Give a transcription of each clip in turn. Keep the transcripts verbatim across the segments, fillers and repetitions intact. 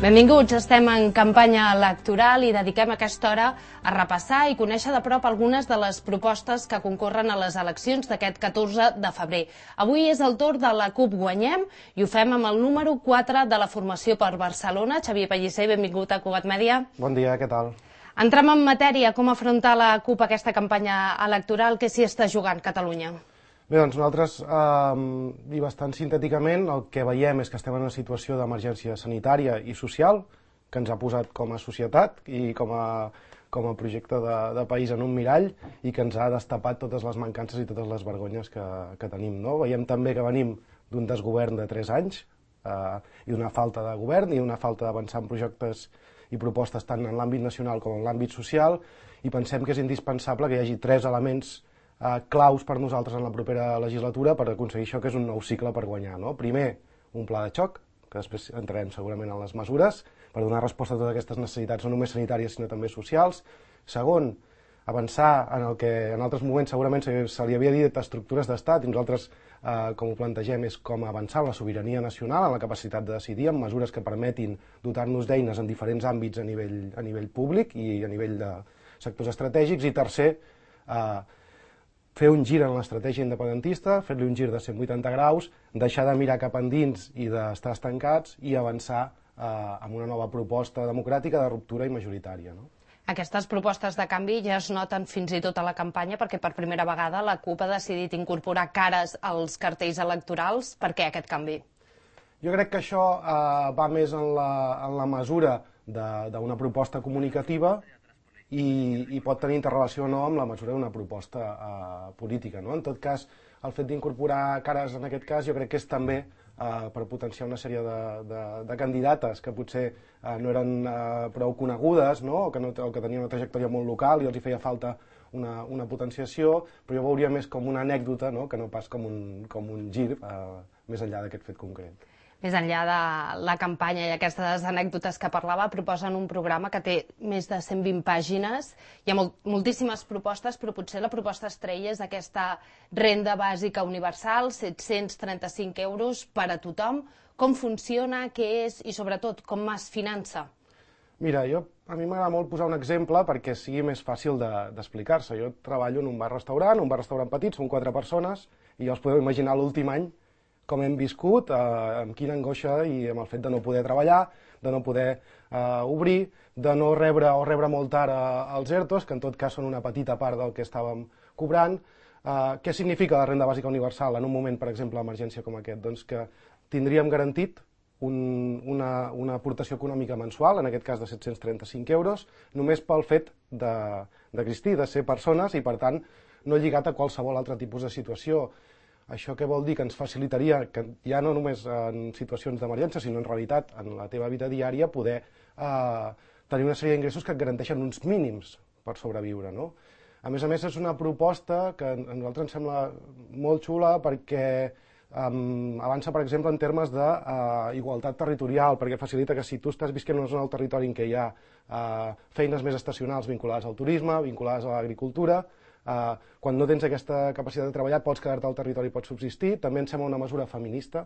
Benvinguts, estem en campanya electoral i dediquem aquesta hora a repassar i conèixer de prop algunes de les propostes que concorren a les eleccions d'aquest catorze de febrer. Avui és el torn de la CUP Guanyem i ho fem amb el número quatre de la formació per Barcelona. Xavier Pellicer, benvingut a Cugat Mèdia. Bon dia, què tal? Entrem en matèria, com afrontar la CUP aquesta campanya electoral, què s'hi està jugant Catalunya? Bé, doncs nosaltres, eh, i bastant sintèticament, el que veiem és que estem en una situació d'emergència sanitària i social que ens ha posat com a societat i com a, com a projecte de, de país en un mirall i que ens ha destapat totes les mancances i totes les vergonyes que, que tenim. No? Veiem també que venim d'un desgovern de tres anys eh, i d'una falta de govern i una falta d'avançar en projectes i propostes tant en l'àmbit nacional com en l'àmbit social i pensem que és indispensable que hi hagi tres elements Uh, claus per nosaltres en la propera legislatura per aconseguir això que és un nou cicle per guanyar. No? Primer, un pla de xoc, que després entrarem segurament en les mesures, per donar resposta a totes aquestes necessitats no només sanitàries sinó també socials. Segon, avançar en el que en altres moments segurament se, se li havia dit estructures d'estat i nosaltres uh, com ho plantegem és com avançar en la sobirania nacional, en la capacitat de decidir, amb mesures que permetin dotar-nos d'eines en diferents àmbits a nivell, a nivell públic i a nivell de sectors estratègics. I tercer, uh, fer un gir en l'estratègia independentista, fer-li un gir de cent vuitanta graus, deixar de mirar cap endins i d'estar estancats i avançar eh, amb una nova proposta democràtica de ruptura i majoritària. No? Aquestes propostes de canvi ja es noten fins i tot a la campanya perquè per primera vegada la CUP ha decidit incorporar cares als cartells electorals. Per què aquest canvi? Jo crec que això eh, va més en la, en la mesura d'una proposta comunicativa I, i pot tenir interrelació o no amb la mesura d'una proposta eh, política. No? En tot cas, el fet d'incorporar cares en aquest cas jo crec que és també eh, per potenciar una sèrie de, de, de candidates que potser eh, no eren eh, prou conegudes, no? o, que no, o que tenien una trajectòria molt local i els hi feia falta una, una potenciació, però jo ho veuria més com una anècdota, no? que no pas com un, com un gir eh, més enllà d'aquest fet concret. Més enllà de la campanya i aquestes anècdotes que parlava, proposen un programa que té més de cent vint pàgines. Hi ha molt, moltíssimes propostes, però potser la proposta estrella és aquesta renda bàsica universal, set-cents trenta-cinc euros per a tothom. Com funciona, què és i, sobretot, com es finança? Mira, jo, a mi m'agrada molt posar un exemple perquè sigui més fàcil d'explicar-se. De, jo treballo en un bar-restaurant, un bar-restaurant petit, són quatre persones, i ja us podeu imaginar l'últim any com hem viscut, eh, amb quina angoixa i amb el fet de no poder treballar, de no poder eh, obrir, de no rebre o rebre molt tard eh, els ERTOs, que en tot cas són una petita part del que estàvem cobrant. Eh, què significa la renda bàsica universal en un moment, per exemple, d'emergència com aquest? Doncs que tindríem garantit un, una, una aportació econòmica mensual, en aquest cas de set-cents trenta-cinc euros, només pel fet d'existir, de, de ser persones i, per tant, no lligat a qualsevol altre tipus de situació. Això què vol dir? Que ens facilitaria, que ja no només en situacions d'emergència, sinó en realitat en la teva vida diària, poder eh, tenir una sèrie d'ingressos que et garanteixen uns mínims per sobreviure. No? A més a més, és una proposta que a nosaltres ens sembla molt xula perquè um, avança, per exemple, en termes d'igualtat uh, territorial, perquè facilita que si tu estàs visquent en una zona del territori en què hi ha uh, feines més estacionals vinculades al turisme, vinculades a l'agricultura, Uh, quan no tens aquesta capacitat de treballar pots quedar-te al territori i pots subsistir. També ens sembla una mesura feminista,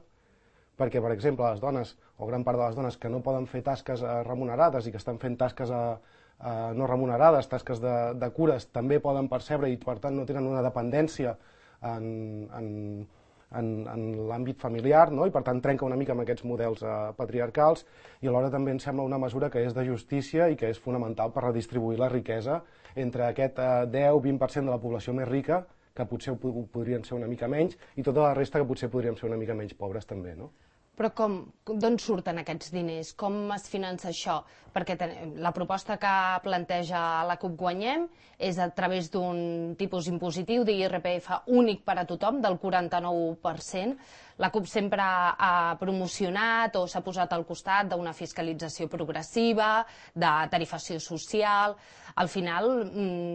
perquè, per exemple, les dones, o gran part de les dones que no poden fer tasques uh, remunerades i que estan fent tasques uh, uh, no remunerades, tasques de, de cures, també poden percebre i, per tant, no tenen una dependència en, en, en, en l'àmbit familiar, no? I, per tant, trenca una mica amb aquests models uh, patriarcals i alhora també ens sembla una mesura que és de justícia i que és fonamental per redistribuir la riquesa entre aquest eh, deu a vint per cent de la població més rica, que potser ho podrien ser una mica menys, i tota la resta que potser podríem ser una mica menys pobres també, no? Però com, d'on surten aquests diners? Com es finança això? Perquè la proposta que planteja la CUP Guanyem és a través d'un tipus impositiu d'I R P F únic per a tothom, del quaranta-nou per cent. La CUP sempre ha promocionat o s'ha posat al costat d'una fiscalització progressiva, de tarifació social. Al final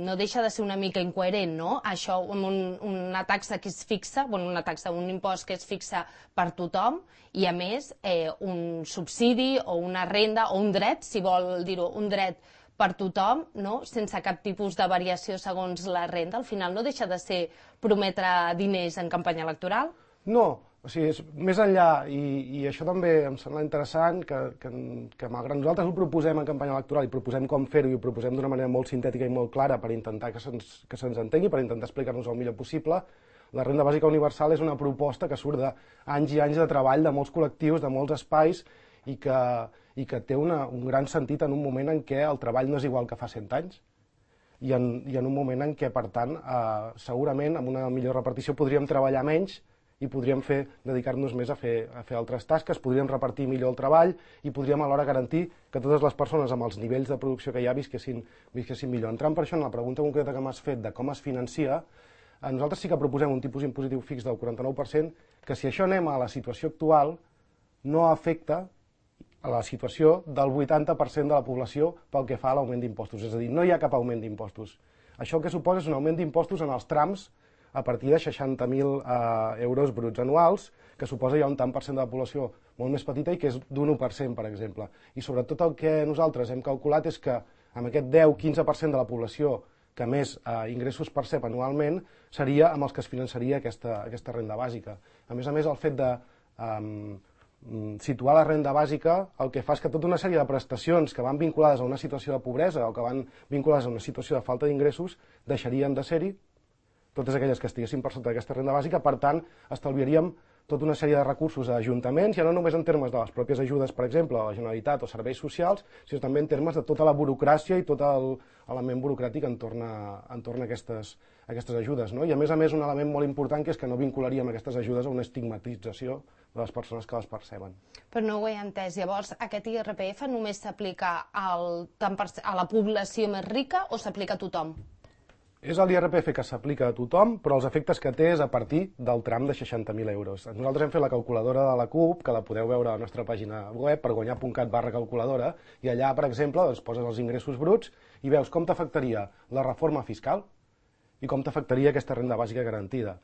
no deixa de ser una mica incoherent, no? Això amb un, una taxa que es fixa, bueno, una taxa, un impost que es fixa per tothom i a més eh, un subsidi o una renda o un dret, si vol dir-ho, un dret per tothom, no? Sense cap tipus de variació segons la renda. Al final no deixa de ser prometre diners en campanya electoral? No, O sigui, és més enllà, i, i això també em sembla interessant, que, que, que malgrat nosaltres ho proposem en campanya electoral i proposem com fer-ho i ho proposem d'una manera molt sintètica i molt clara per intentar que se'ns que se'ns entengui, per intentar explicar-nos el millor possible, la renda bàsica universal és una proposta que surt d'anys i anys de treball de molts col·lectius, de molts espais, i que, i que té una, un gran sentit en un moment en què el treball no és igual que fa cent anys, i en, i en un moment en què, per tant, eh, segurament amb una millor repartició podríem treballar menys i podríem fer, dedicar-nos més a fer, a fer altres tasques, podríem repartir millor el treball i podríem alhora garantir que totes les persones amb els nivells de producció que hi ha visquessin, visquessin millor. Entrant per això en la pregunta concreta que m'has fet de com es financia, nosaltres sí que proposem un tipus impositiu fix del quaranta-nou per cent, que si això anem a la situació actual, no afecta a la situació del vuitanta per cent de la població pel que fa a l'augment d'impostos. És a dir, no hi ha cap augment d'impostos. Això el que suposa és un augment d'impostos en els trams a partir de seixanta mil eh, euros bruts anuals, que suposa ja un tant per cent de la població molt més petita i que és d'un u per cent, per exemple. I sobretot el que nosaltres hem calculat és que amb aquest deu a quinze per cent de la població que més eh, ingressos percep anualment seria amb els que es finançaria aquesta, aquesta renda bàsica. A més a més, el fet de eh, situar la renda bàsica el que fa és que tota una sèrie de prestacions que van vinculades a una situació de pobresa o que van vinculades a una situació de falta d'ingressos deixarien de ser-hi, totes aquelles que estiguessin per sota d'aquesta renda bàsica, per tant, estalviaríem tota una sèrie de recursos a ajuntaments, ja no només en termes de les pròpies ajudes, per exemple, a la Generalitat o serveis socials, sinó també en termes de tota la burocràcia i tot l'element burocràtic entorn a, entorn a aquestes, a aquestes ajudes. No? I a més a més un element molt important que és que no vincularíem aquestes ajudes a una estigmatització de les persones que les perceben. Però no ho he entès. Llavors, aquest I R P F només s'aplica a la població més rica o s'aplica a tothom? És l'I R P F que s'aplica a tothom, però els efectes que té és a partir del tram de seixanta mil euros. Nosaltres hem fet la calculadora de la CUP, que la podeu veure a la nostra pàgina web, perguanyà punt cat barra calculadora, i allà, per exemple, doncs, poses els ingressos bruts i veus com t'afectaria la reforma fiscal i com t'afectaria aquesta renda bàsica garantida.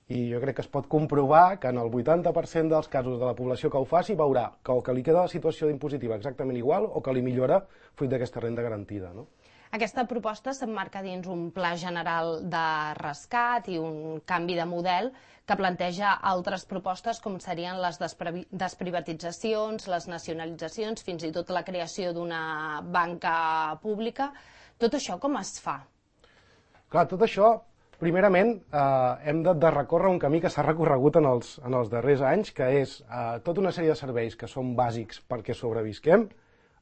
I jo crec que es pot comprovar que en el vuitanta per cent dels casos de la població que ho faci veurà que o que li queda la situació impositiva exactament igual o que li millora fruit d'aquesta renda garantida, no? Aquesta proposta s'emmarca dins un pla general de rescat i un canvi de model que planteja altres propostes com serien les desprivatitzacions, les nacionalitzacions, fins i tot la creació d'una banca pública. Tot això com es fa? Clar, tot això, primerament, eh, hem de, de recórrer un camí que s'ha recorregut en els, en els darrers anys, que és eh, tota una sèrie de serveis que són bàsics perquè sobrevisquem,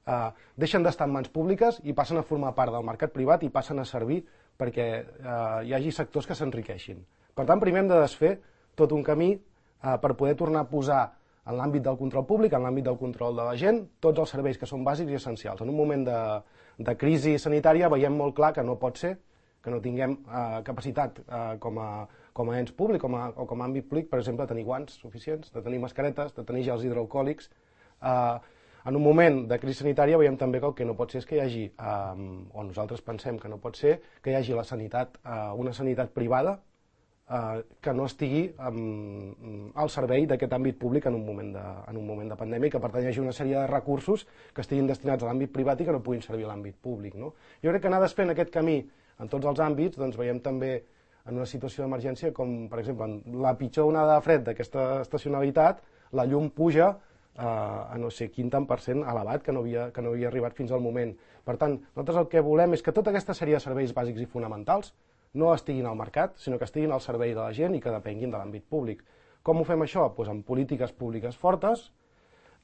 Uh, deixen d'estar en mans públiques i passen a formar part del mercat privat i passen a servir perquè uh, hi hagi sectors que s'enriqueixin. Per tant, primer hem de desfer tot un camí uh, per poder tornar a posar en l'àmbit del control públic, en l'àmbit del control de la gent, tots els serveis que són bàsics i essencials. En un moment de, de crisi sanitària veiem molt clar que no pot ser que no tinguem uh, capacitat uh, com, a, com a ens públic com a, o com a àmbit públic, per exemple, de tenir guants suficients, de tenir mascaretes, de tenir gels hidroalcohòlics. Uh, En un moment de crisi sanitària veiem també que el que no pot ser és que hi hagi, eh, o nosaltres pensem que no pot ser, que hi hagi la sanitat, eh, una sanitat privada eh, que no estigui eh, al servei d'aquest àmbit públic en un, moment de, en un moment de pandèmia i que per tant hi hagi una sèrie de recursos que estiguin destinats a l'àmbit privat i que no puguin servir a l'àmbit públic. No? Jo crec que anar desfent aquest camí en tots els àmbits, doncs veiem també en una situació d'emergència com, per exemple, en la pitjor onada de fred d'aquesta estacionalitat, la llum puja a no sé quin tant per cent elevat que no, havia, que no havia arribat fins al moment. Per tant, nosaltres el que volem és que tota aquesta sèrie de serveis bàsics i fonamentals no estiguin al mercat, sinó que estiguin al servei de la gent i que depenguin de l'àmbit públic. Com ho fem això? Pues amb polítiques públiques fortes,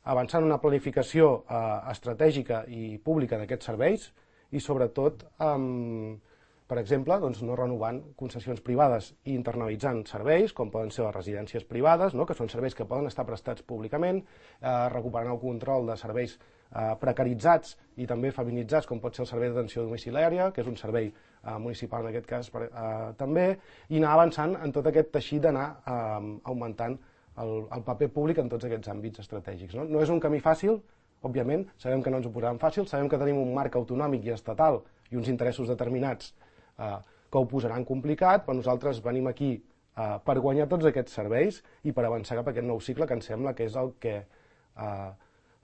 avançant en una planificació eh, estratègica i pública d'aquests serveis i sobretot amb per exemple, doncs, no renovant concessions privades i internalitzant serveis, com poden ser les residències privades, no? que són serveis que poden estar prestats públicament, eh, recuperant el control de serveis eh, precaritzats i també feminitzats, com pot ser el servei d'atenció domiciliària, que és un servei eh, municipal en aquest cas per, eh, també, i anar avançant en tot aquest teixit d'anar eh, augmentant el, el paper públic en tots aquests àmbits estratègics. No? no és un camí fàcil, òbviament, sabem que no ens ho posaran fàcil, sabem que tenim un marc autonòmic i estatal i uns interessos determinats Uh, que ho posaran complicat, però nosaltres venim aquí uh, per guanyar tots aquests serveis i per avançar cap a aquest nou cicle que ens sembla que és el que uh,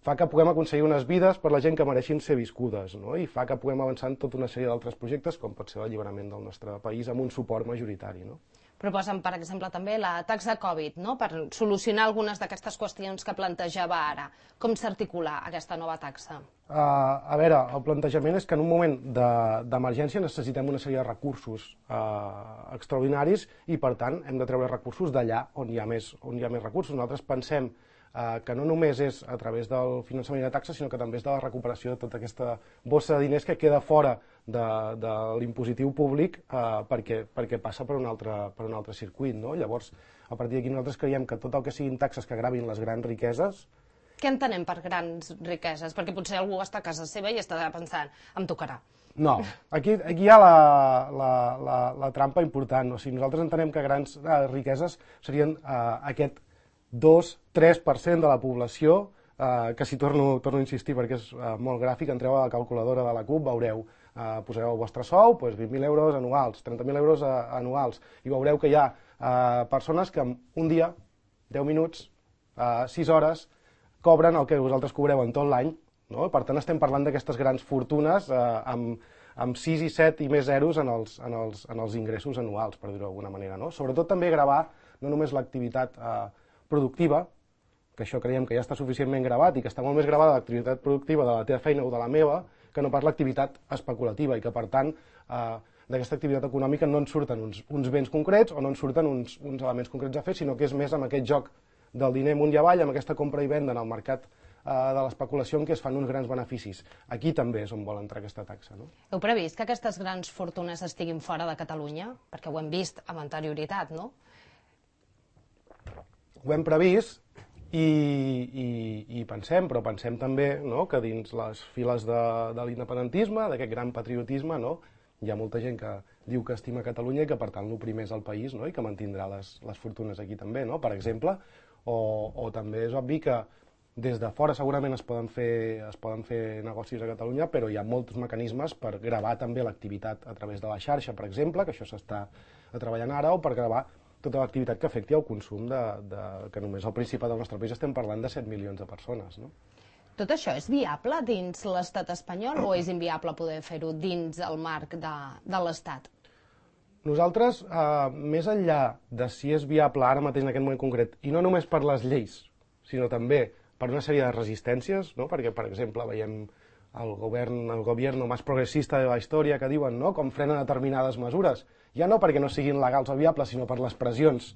fa que puguem aconseguir unes vides per la gent que mereixin ser viscudes, no? I fa que puguem avançar en tota una sèrie d'altres projectes, com pot ser l'alliberament del nostre país amb un suport majoritari. No? Proposen, per exemple, també la taxa Covid, no?, per solucionar algunes d'aquestes qüestions que plantejava ara. Com s'articula aquesta nova taxa? Uh, a veure, el plantejament és que en un moment d'emergència de, necessitem una sèrie de recursos uh, extraordinaris i, per tant, hem de treure recursos d'allà on, hi ha més, on hi ha més recursos. Nosaltres pensem Uh, que no només és a través del finançament de taxes, sinó que també és de la recuperació de tota aquesta bossa de diners que queda fora de, de l'impositiu públic uh, perquè, perquè passa per un altre, per un altre circuit, no? Llavors, a partir d'aquí nosaltres creiem que tot el que siguin taxes que gravin les grans riqueses... Què entenem per grans riqueses? Perquè potser algú està a casa seva i està pensant, em tocarà. No, aquí, aquí hi ha la, la, la, la trampa important. O sigui, nosaltres entenem que grans uh, riqueses serien uh, aquest dos tres per cent de la població, eh, que si torno, torno a insistir perquè és eh, molt gràfic, entreu a la calculadora de la C U P, veureu, eh, posareu el vostre sou, doncs vint mil euros anuals, trenta mil euros eh, anuals, i veureu que hi ha eh, persones que en un dia, deu minuts, eh, sis hores, cobren el que vosaltres cobreu en tot l'any, no? Per tant, estem parlant d'aquestes grans fortunes eh, amb, amb sis i set i més zeros en els, en els, en els ingressos anuals, per dir-ho d'alguna manera, no? Sobretot també gravar no només l'activitat eh, productiva, que això creiem que ja està suficientment gravat i que està molt més gravada l'activitat productiva de la teva feina o de la meva, que no pas l'activitat especulativa i que, per tant, eh, d'aquesta activitat econòmica no ens surten uns, uns béns concrets o no ens surten uns, uns elements concrets a fer, sinó que és més amb aquest joc del diner amunt i avall, amb aquesta compra i venda en el mercat eh, de l'especulació en què es fan uns grans beneficis. Aquí també és on vol entrar aquesta taxa, no? Heu previst que aquestes grans fortunes estiguin fora de Catalunya? Perquè ho hem vist amb anterioritat, no? Ho hem previst i, i, i pensem, però pensem també, no?, que dins les files de, de l'independentisme, d'aquest gran patriotisme, no?, hi ha molta gent que diu que estima Catalunya i que per tant l'oprimeix al país, no?, i que mantindrà les, les fortunes aquí també, no?, per exemple, o, o també és obvi que des de fora segurament es poden, fer, es poden fer negocis a Catalunya, però hi ha molts mecanismes per gravar també l'activitat a través de la xarxa, per exemple, que això s'està treballant ara, o per gravar tota l'activitat que afecti el consum, de, de, que només al Principat del nostre país estem parlant de set milions de persones, no? Tot això és viable dins l'estat espanyol o és inviable poder fer-ho dins el marc de, de l'estat? Nosaltres, eh, més enllà de si és viable ara mateix en aquest moment concret, i no només per les lleis, sinó també per una sèrie de resistències, no? Perquè, per exemple, veiem el govern, el gobierno més progressista de la història que diuen, no?, com frenen determinades mesures, ja no perquè no siguin legals o viables, sinó per les pressions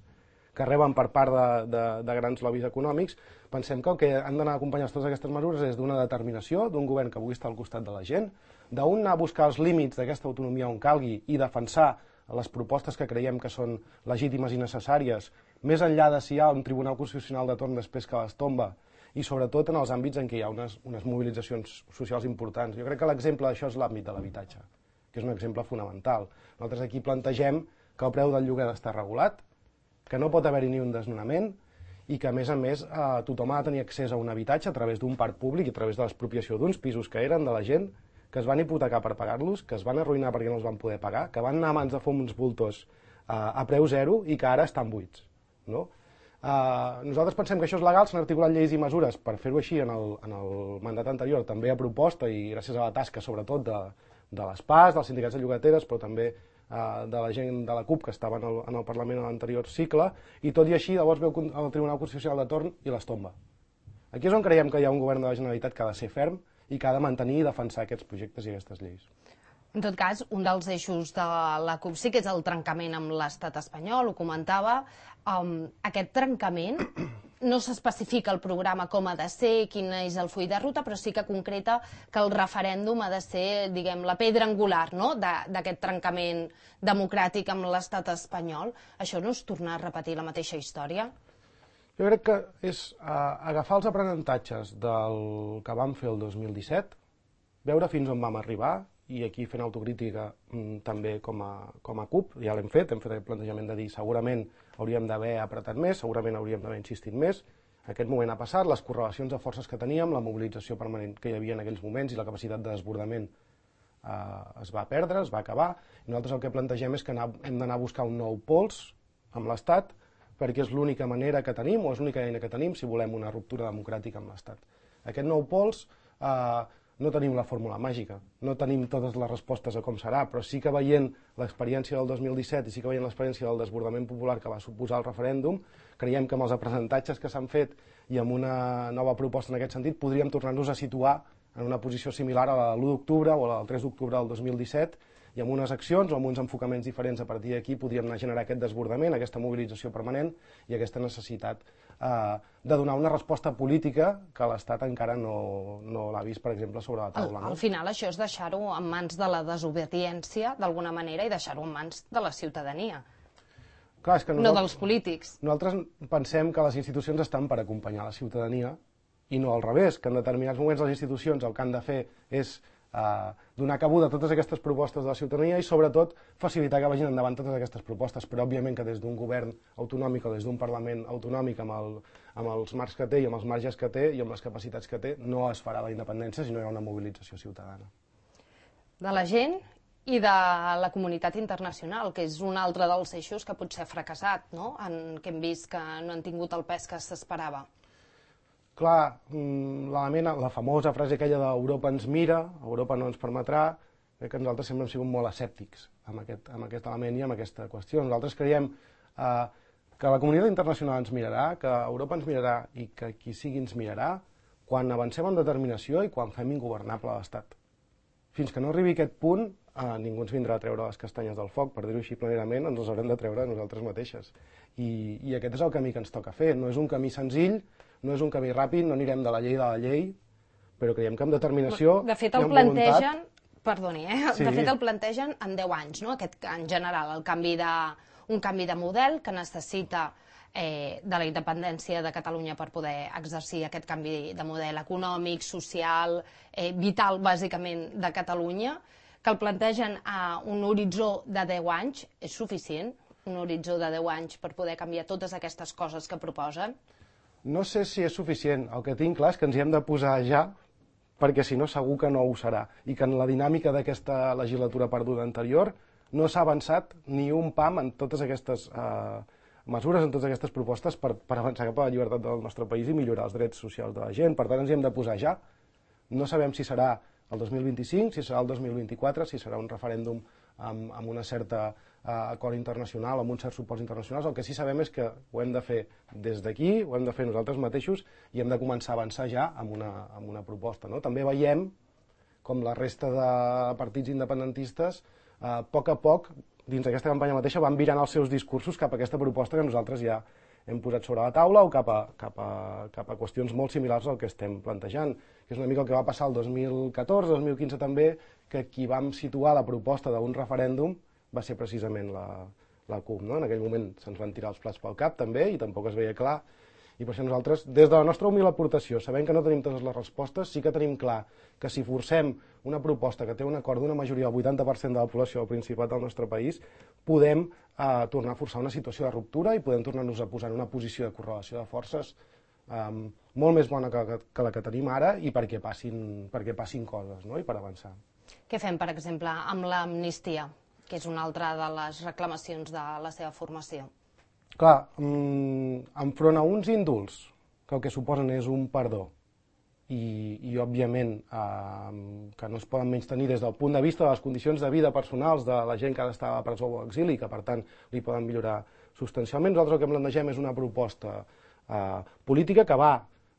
que reben per part de, de, de grans lobbies econòmics. Pensem que el que han d'anar acompanyats totes aquestes mesures és d'una determinació, d'un govern que vulgui estar al costat de la gent, d'un anar a buscar els límits d'aquesta autonomia on calgui i defensar les propostes que creiem que són legítimes i necessàries, més enllà de si hi ha un Tribunal Constitucional de torn després que les tomba, i sobretot en els àmbits en què hi ha unes, unes mobilitzacions socials importants. Jo crec que l'exemple d'això és l'àmbit de l'habitatge, que és un exemple fonamental. Nosaltres aquí plantegem que el preu del lloguer ha d'estar regulat, que no pot haver-hi ni un desnonament i que, a més a més, eh, tothom ha de tenir accés a un habitatge a través d'un parc públic i a través de l'expropiació d'uns pisos que eren de la gent, que es van hipotecar per pagar-los, que es van arruïnar perquè no els van poder pagar, que van anar a mans de fons voltors eh, a preu zero i que ara estan buits, no? Uh, nosaltres pensem que això és legal, s'han articulat lleis i mesures per fer-ho així en el, en el mandat anterior, també a proposta i gràcies a la tasca sobretot de, de les P A S, dels sindicats de llogateres, però també uh, de la gent de la C U P que estava en el, en el Parlament en l'anterior cicle, i tot i així llavors veu el Tribunal Constitucional de torn i les tomba. Aquí és on creiem que hi ha un govern de la Generalitat que ha de ser ferm i que ha de mantenir i defensar aquests projectes i aquestes lleis. En tot cas, un dels eixos de la C U P sí que és el trencament amb l'estat espanyol, ho comentava. Um, aquest trencament no s'especifica el programa com ha de ser, quin és el full de ruta, però sí que concreta que el referèndum ha de ser, diguem, la pedra angular, no?, d'aquest trencament democràtic amb l'estat espanyol. Això no és tornar a repetir la mateixa història? Jo crec que és uh, agafar els aprenentatges del que vam fer el dos mil disset, veure fins on vam arribar, i aquí fent autocrítica mm, també com a, com a C U P, ja l'hem fet, hem fet el plantejament de dir segurament hauríem d'haver apretat més, segurament hauríem d'haver insistit més. Aquest moment ha passat, les correlacions de forces que teníem, la mobilització permanent que hi havia en aquells moments i la capacitat de desbordament eh, es va perdre, es va acabar. I nosaltres el que plantegem és que hem d'anar a buscar un nou pols amb l'Estat, perquè és l'única manera que tenim, o és l'única eina que tenim, si volem una ruptura democràtica amb l'Estat. Aquest nou pols eh, no tenim la fórmula màgica, no tenim totes les respostes a com serà, però sí que veient l'experiència del dos mil disset i sí que veient l'experiència del desbordament popular que va suposar el referèndum, creiem que amb els aprenentatges que s'han fet i amb una nova proposta en aquest sentit podríem tornar-nos a situar en una posició similar a la de l'u d'octubre o a la del tres d'octubre del dos mil disset, i amb unes accions o amb uns enfocaments diferents a partir d'aquí podríem anar a generar aquest desbordament, aquesta mobilització permanent i aquesta necessitat eh, de donar una resposta política que l'Estat encara no, no l'ha vist, per exemple, sobre la taula. Al, No? al final això és deixar-ho en mans de la desobediència, d'alguna manera, i deixar-ho en mans de la ciutadania, Clar, és que no dels polítics. Nosaltres pensem que les institucions estan per acompanyar la ciutadania i no al revés, que en determinats moments les institucions el que han de fer és Uh, donar cabuda a totes aquestes propostes de la ciutadania i sobretot facilitar que vagin endavant totes aquestes propostes, però òbviament que des d'un govern autonòmic o des d'un Parlament autonòmic amb, el, amb els marcs que té i amb els marges que té i amb les capacitats que té no es farà la independència si no hi ha una mobilització ciutadana. De la gent i de la comunitat internacional, que és un altre dels eixos que potser ha fracassat, no? En què hem vist que no han tingut el pes que s'esperava. Clar, l'element, la famosa frase aquella d'Europa ens mira, Europa no ens permetrà, crec que nosaltres sempre hem sigut molt escèptics amb aquest, amb aquest element i amb aquesta qüestió. Nosaltres creiem eh, que la comunitat internacional ens mirarà, que Europa ens mirarà i que qui sigui ens mirarà quan avancem en determinació i quan fem ingovernable l'Estat. Fins que no arribi aquest punt, eh, ningú ens vindrà a treure les castanyes del foc, per dir-ho així planerament, ens les haurem de treure nosaltres mateixes. I, I aquest és el camí que ens toca fer. No és un camí senzill, no és un camí ràpid, no anirem de la llei de la llei, però creiem que amb determinació de fet, el i amb plantegen, voluntat... Perdoni, eh? Sí. De fet el plantegen en deu anys, no? Aquest, en general, el canvi de, un canvi de model que necessita eh, de la independència de Catalunya per poder exercir aquest canvi de model econòmic, social, eh, vital, bàsicament, de Catalunya, que el plantegen a un horitzó de deu anys. És suficient un horitzó de deu anys per poder canviar totes aquestes coses que proposen? No sé si és suficient. El que tinc clar és que ens hi hem de posar ja, perquè si no segur que no ho serà. I que en la dinàmica d'aquesta legislatura perduda anterior no s'ha avançat ni un pam en totes aquestes eh, mesures, en totes aquestes propostes per, per avançar cap a la llibertat del nostre país i millorar els drets socials de la gent. Per tant, ens hi hem de posar ja. No sabem si serà el dos mil vint-i-cinc, si serà el dos mil vint-i-quatre, si serà un referèndum amb, amb una certa eh, acord internacional, amb uns certs suports internacionals. El que sí sabem és que ho hem de fer des d'aquí, ho hem de fer nosaltres mateixos i hem de començar a avançar ja amb una, amb una proposta. No? També veiem com la resta de partits independentistes, eh, a poc a poc, dins d'aquesta campanya mateixa, van virant els seus discursos cap a aquesta proposta que nosaltres ja hem posat sobre la taula o cap a, cap a, cap a qüestions molt similars al que estem plantejant, que és una mica el que va passar el dos mil catorze, dos mil quinze també, que qui vam situar la proposta d'un referèndum va ser precisament la, la CUP. No? En aquell moment se'ns van tirar els plats pel cap també i tampoc es veia clar. I per això nosaltres, des de la nostra humil aportació, sabent que no tenim totes les respostes, sí que tenim clar que si forcem una proposta que té un acord d'una majoria del vuitanta per cent de la població del Principat del nostre país, podem eh, tornar a forçar una situació de ruptura i podem tornar-nos a posar en una posició de correlació de forces eh, molt més bona que, que la que tenim ara i perquè passin, perquè passin coses, no? I per avançar. Què fem, per exemple, amb l'amnistia, que és una altra de les reclamacions de la seva formació? Clar, mmm, enfront a uns indults, que el que suposen és un perdó, i, i òbviament eh, que no es poden menystenir des del punt de vista de les condicions de vida personals de la gent que ha d'estar a presó o exili, que per tant li poden millorar substancialment. Nosaltres el que plantegem és una proposta eh, política que va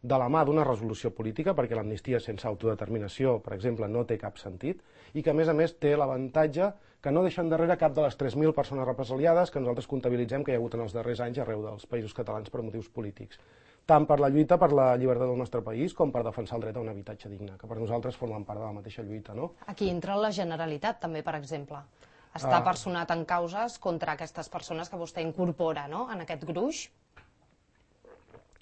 de la mà d'una resolució política, perquè l'amnistia sense autodeterminació, per exemple, no té cap sentit, i que a més a més té l'avantatge que no deixen darrere cap de les tres mil persones represaliades que nosaltres comptabilitzem que hi ha hagut en els darrers anys arreu dels països catalans per motius polítics. Tant per la lluita per la llibertat del nostre país com per defensar el dret a un habitatge digne, que per nosaltres formen part de la mateixa lluita. No? Aquí entra la Generalitat també, per exemple. Està Ah. personat en causes contra aquestes persones que vostè incorpora, no?, en aquest gruix.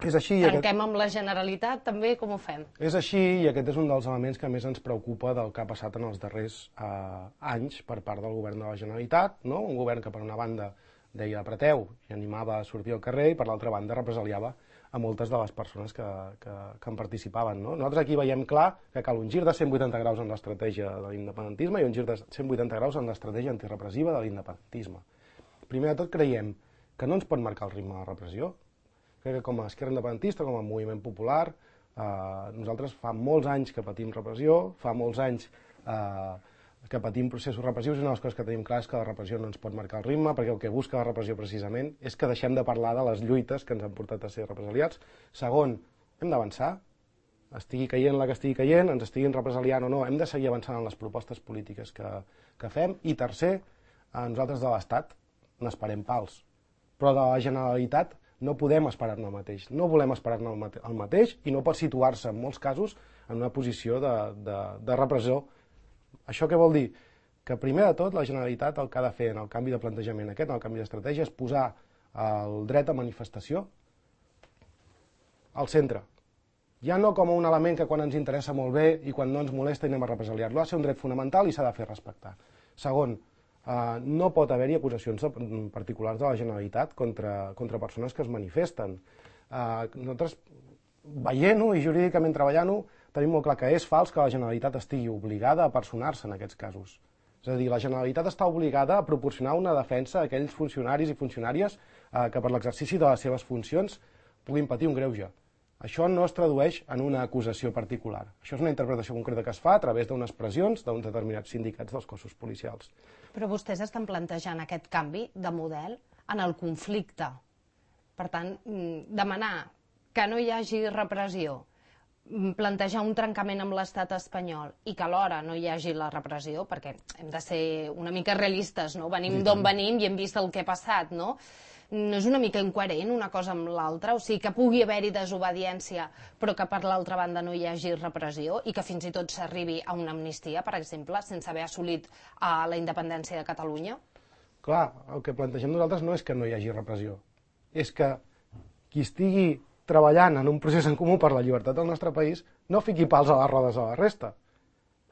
És així, i aquest, Tanquem amb la Generalitat, també, com ho fem? és així i aquest és un dels elements que més ens preocupa del que ha passat en els darrers eh, anys per part del govern de la Generalitat, no? Un govern que per una banda deia apreteu i animava a sortir al carrer i per l'altra banda represaliava a moltes de les persones que, que, que en participaven. No? Nosaltres aquí veiem clar que cal un gir de cent vuitanta graus en l'estratègia de l'independentisme i un gir de cent vuitanta graus en l'estratègia antirepressiva de l'independentisme. Primer de tot creiem que no ens pot marcar el ritme de la repressió. Crec que com a esquerra independentista, com a moviment popular, Nosaltres fa molts anys que patim repressió, fa molts anys que patim processos repressius, i una de les coses que tenim clar és que la repressió no ens pot marcar el ritme, perquè el que busca la repressió precisament és que deixem de parlar de les lluites que ens han portat a ser represaliats. Segon, hem d'avançar, estigui caient la que estigui caient, ens estiguin represaliant o no, hem de seguir avançant en les propostes polítiques que, que fem. I tercer, nosaltres de l'Estat n'esperem pals, però de la Generalitat no podem esperar-ne el mateix, no volem esperar-ne el, mate el mateix i no pot situar-se en molts casos en una posició de, de, de repressió. Això què vol dir? Que primer de tot la Generalitat el que ha de fer en el canvi de plantejament aquest, en el canvi d'estratègia, és posar el dret a manifestació al centre. Ja no com un element que quan ens interessa molt bé i quan no ens molesta i anem a represaliar-lo, ha de ser un dret fonamental i s'ha de fer respectar. Segon, Uh, no pot haver-hi acusacions particulars de la Generalitat contra, contra persones que es manifesten. Uh, nosaltres, veient-ho i jurídicament treballant-ho, tenim molt clar que és fals que la Generalitat estigui obligada a personar-se en aquests casos. És a dir, la Generalitat està obligada a proporcionar una defensa a aquells funcionaris i funcionàries uh, que per l'exercici de les seves funcions puguin patir un greuge. Això no es tradueix en una acusació particular. Això és una interpretació concreta que es fa a través d'unes pressions d'uns determinats sindicats dels cossos policials. Però vostès estan plantejant aquest canvi de model en el conflicte. Per tant, demanar que no hi hagi repressió, plantejar un trencament amb l'estat espanyol i que alhora no hi hagi la repressió, perquè hem de ser una mica realistes, no? Venim d'on venim i hem vist el que ha passat, no? No és una mica incoherent una cosa amb l'altra? O sigui, que pugui haver-hi desobediència, però que per l'altra banda no hi hagi repressió i que fins i tot s'arribi a una amnistia, per exemple, sense haver assolit uh, la independència de Catalunya? Clar, el que plantegem nosaltres no és que no hi hagi repressió, és que qui estigui treballant en un procés en comú per la llibertat del nostre país no fiqui pals a les rodes a la resta.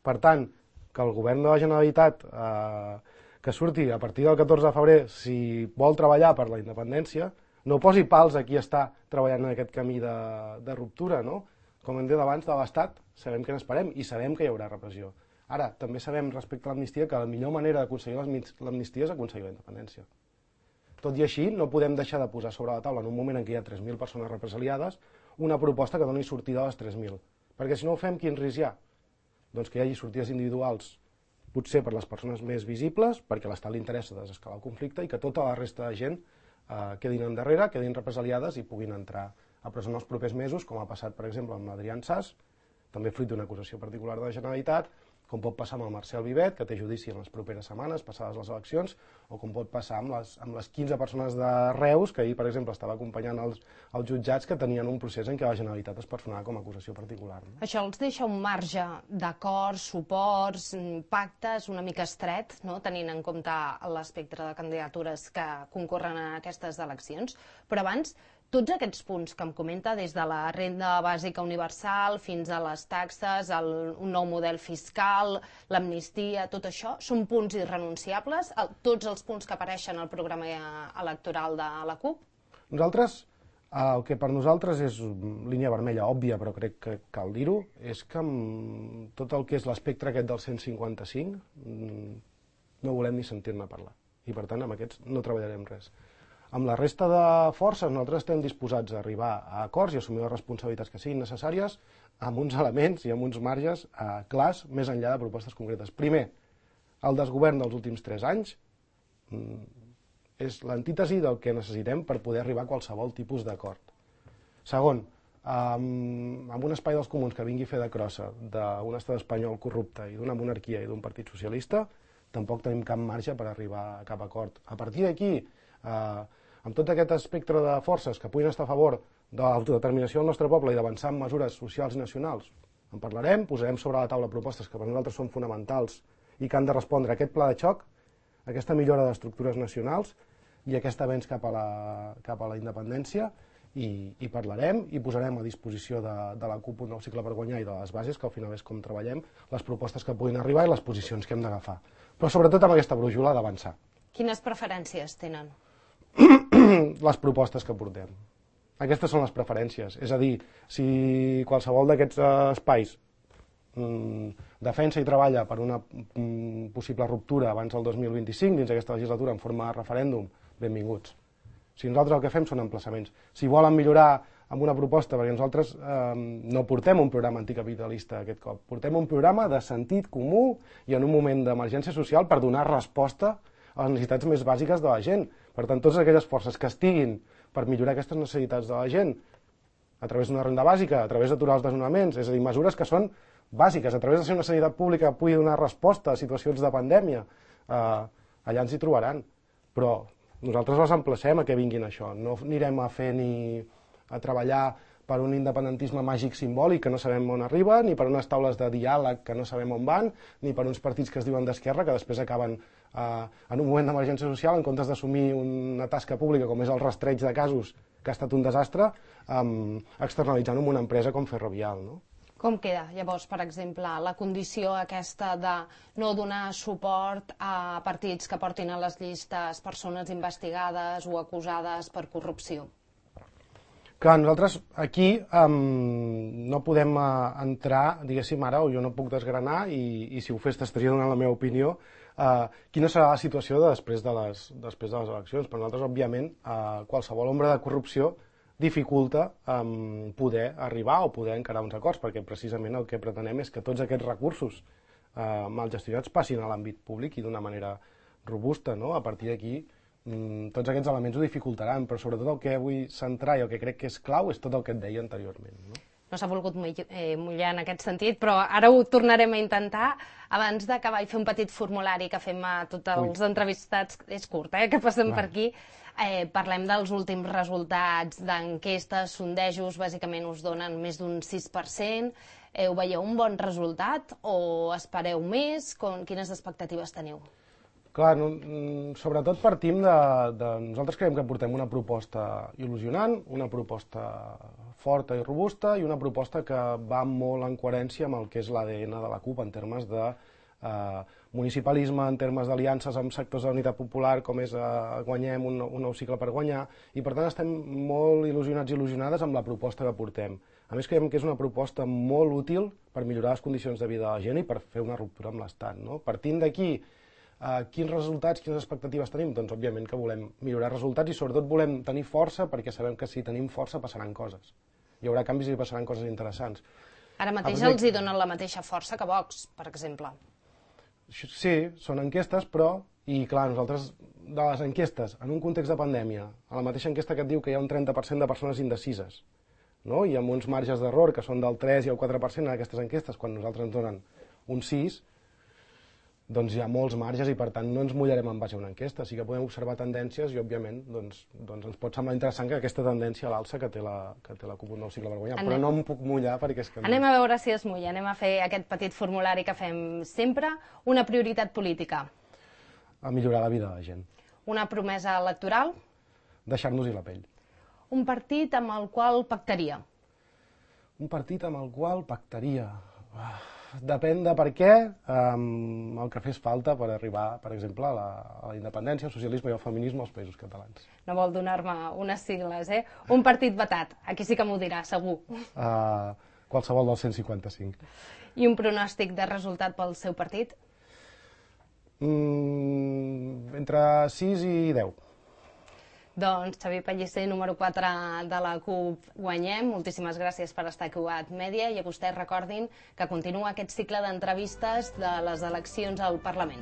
Per tant, que el govern de la Generalitat eh, que surti a partir del catorze de febrer, si vol treballar per la independència, no posi pals a qui està treballant en aquest camí de, de ruptura, no? Com hem dit abans, de l'Estat sabem que n'esperem i sabem que hi haurà repressió. Ara, també sabem respecte a l'amnistia que la millor manera d'aconseguir l'amnistia és aconseguir la independència. Tot i així, no podem deixar de posar sobre la taula en un moment en què hi ha tres mil persones represaliades una proposta que doni sortida a les tres mil. Perquè si no ho fem, quin risc hi ha? Doncs que hi hagi sortides individuals, potser per les persones més visibles, perquè a l'Estat li interessa desescalar el conflicte i que tota la resta de gent eh, quedin endarrere, quedin represaliades i puguin entrar a presó en els propers mesos, com ha passat, per exemple, amb l'Adrián Sas, també fruit d'una acusació particular de la Generalitat, com pot passar amb el Marcel Vivet, que té judici en les properes setmanes, passades les eleccions, o com pot passar amb les, amb les quinze persones de Reus, que ahir, per exemple, estava acompanyant els, els jutjats que tenien un procés en què la Generalitat es personava com a acusació particular. No? Això els deixa un marge d'acords, suports, pactes una mica estret, no? Tenint en compte l'espectre de candidatures que concorren a aquestes eleccions. Però abans, tots aquests punts que em comenta, des de la renda bàsica universal fins a les taxes, el, un nou model fiscal, l'amnistia, tot això, són punts irrenunciables? El, tots els punts que apareixen al programa electoral de la CUP? Nosaltres, el que per nosaltres és línia vermella òbvia, però crec que cal dir-ho, és que amb tot el que és l'espectre aquest del cent cinquanta-cinc no volem ni sentir-ne parlar. I per tant, amb aquests no treballarem res. Amb la resta de forces nosaltres estem disposats a arribar a acords i assumir les responsabilitats que siguin necessàries amb uns elements i amb uns marges eh, clars més enllà de propostes concretes. Primer, el desgovern dels últims tres anys mm, és l'antítesi del que necessitem per poder arribar a qualsevol tipus d'acord. Segon, amb, amb un espai dels comuns que vingui a fer de crossa d'un estat espanyol corrupte i d'una monarquia i d'un partit socialista, tampoc tenim cap marge per arribar a cap acord. A partir d'aquí, eh, amb tot aquest espectre de forces que puguin estar a favor de l'autodeterminació del nostre poble i d'avançar en mesures socials i nacionals, en parlarem, posarem sobre la taula propostes que per nosaltres són fonamentals i que han de respondre a aquest pla de xoc, a aquesta millora d'estructures nacionals i aquest avenç cap a la, cap a la independència, i, i parlarem i posarem a disposició de, de la CUP un nou cicle per guanyar i de les bases, que al final és com treballem, les propostes que puguin arribar i les posicions que hem d'agafar. Però sobretot amb aquesta brújula d'avançar. Quines preferències tenen? Les propostes que portem. Aquestes són les preferències. És a dir, si qualsevol d'aquests espais mm, defensa i treballa per una mm, possible ruptura abans del dos mil vint-i-cinc dins d'aquesta legislatura en forma de referèndum, benvinguts. Si nosaltres el que fem són emplaçaments. Si volen millorar amb una proposta, perquè nosaltres eh, no portem un programa anticapitalista aquest cop, portem un programa de sentit comú i en un moment d'emergència social per donar resposta a les necessitats més bàsiques de la gent. Per tant, totes aquelles forces que estiguin per millorar aquestes necessitats de la gent a través d'una renda bàsica, a través d'aturar els desnonaments, és a dir, mesures que són bàsiques, a través de ser una sanitat pública que pugui donar resposta a situacions de pandèmia, eh, allà ens hi trobaran. Però nosaltres els emplacem a que vinguin això. No anirem a fer ni a treballar per un independentisme màgic simbòlic que no sabem on arriba, ni per unes taules de diàleg que no sabem on van, ni per uns partits que es diuen d'esquerra que després acaben eh, en un moment d'emergència social, en comptes d'assumir una tasca pública com és el rastreig de casos, que ha estat un desastre, eh, externalitzant en una empresa com Ferrovial, no? Com queda, llavors, per exemple, la condició aquesta de no donar suport a partits que portin a les llistes persones investigades o acusades per corrupció? Clar, nosaltres aquí um, no podem uh, entrar, diguéssim ara, o jo no puc desgranar, i, i si ho fes t'estaria donant la meva opinió, uh, quina serà la situació de després, de les, després de les eleccions. Per nosaltres, òbviament, uh, qualsevol ombra de corrupció dificulta um, poder arribar o poder encarar uns acords, perquè precisament el que pretenem és que tots aquests recursos uh, mal gestionats passin a l'àmbit públic i d'una manera robusta, no? A partir d'aquí, mm, tots aquests elements ho dificultaran, però sobretot el que vull centrar i el que crec que és clau és tot el que et deia anteriorment, no? No s'ha volgut mullar en aquest sentit, però ara ho tornarem a intentar. Abans d'acabar i fer un petit formulari que fem a tots els Ui. entrevistats, és curt, eh, que passem Va. per aquí, eh, parlem dels últims resultats d'enquestes, sondejos, bàsicament us donen més d'un sis per cent. Eh, ho veieu un bon resultat o espereu més? Com, quines expectatives teniu? Clar, no, sobretot partim de, de... Nosaltres creiem que portem una proposta il·lusionant, una proposta forta i robusta i una proposta que va molt en coherència amb el que és l'A D N de la CUP en termes de eh, municipalisme, en termes d'aliances amb sectors de la unitat popular, com és eh, guanyem un, un nou cicle per guanyar, i per tant estem molt il·lusionats i il·lusionades amb la proposta que portem. A més, creiem que és una proposta molt útil per millorar les condicions de vida de la gent i per fer una ruptura amb l'Estat, no? Partint d'aquí, Uh, quins resultats, quines expectatives tenim? Doncs òbviament que volem millorar resultats i sobretot volem tenir força perquè sabem que si tenim força passaran coses. Hi haurà canvis i passaran coses interessants. Ara mateix els hi donen la mateixa força que Vox, per exemple. Sí, són enquestes, però, i clar, nosaltres de les enquestes, en un context de pandèmia, a la mateixa enquesta que et diu que hi ha un trenta per cent de persones indecises, no? I amb uns marges d'error que són del tres i el quatre per cent en aquestes enquestes, quan nosaltres ens donen un sis, doncs hi ha molts marges i per tant no ens mullarem en base a una enquesta, sí que podem observar tendències i òbviament doncs, doncs ens pot semblar interessant que aquesta tendència a l'alça que té la, que té la CUP un nou cicle per guanyar, anem. Però no em puc mullar perquè és que... Anem a veure si es mulla, anem a fer aquest petit formulari que fem sempre. Una prioritat política? A millorar la vida de la gent. Una promesa electoral? Deixar-nos-hi la pell. Un partit amb el qual pactaria? Un partit amb el qual pactaria... Depèn de per què, um, el que fes falta per arribar, per exemple, a la, a la independència, al socialisme i al feminisme als països catalans. No vol donar-me unes sigles, eh? Un partit vetat, aquí sí que m'ho dirà, segur. Uh, qualsevol del cent cinquanta-cinc. I un pronòstic de resultat pel seu partit? Mm, entre sis i deu. Doncs Xavier Pellicer, número quatre de la CUP Guanyem, moltíssimes gràcies per estar aquí a Media i a vostès recordin que continua aquest cicle d'entrevistes de les eleccions al Parlament.